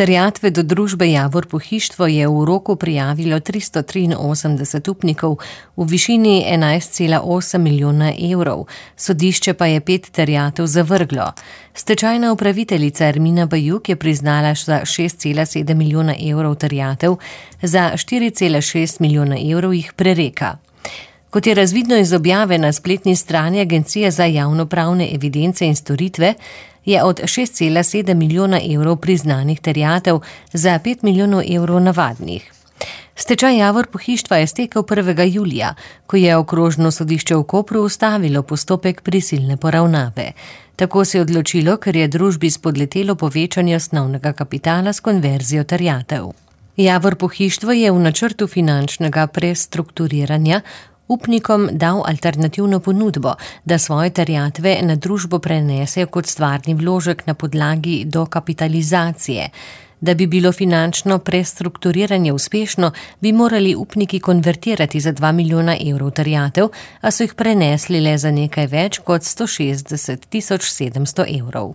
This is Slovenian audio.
Terjatve do družbe Javor Pohištvo je v roku prijavilo 383 upnikov v višini 11,8 milijona evrov, sodišče pa je 5 terjatev zavrglo. Stečajna upraviteljica Ermina Bajuk je priznala za 6,7 milijona evrov terjatev, za 4,6 milijona evrov jih prereka. Kot je razvidno iz objave na spletni strani Agencije za javnopravne evidence in storitve, je od 6,7 milijona evrov priznanih terjatev za 5 milijonov evrov navadnih. Stečaj Javor Pohištva je stekel 1. julija, ko je okrožno sodišče v Kopru ustavilo postopek prisilne poravnave. Tako se je odločilo, ker je družbi spodletelo povečanje osnovnega kapitala s konverzijo terjatev. Javor Pohištvo je v načrtu finančnega prestrukturiranja upnikom dal alternativno ponudbo, da svoje terjatve na družbo prenesejo kot stvarni vložek na podlagi dokapitalizacije. Da bi bilo finančno prestrukturiranje uspešno, bi morali upniki konvertirati za 2 milijona evrov terjatev, a so jih prenesli le za nekaj več kot 160 700 evrov.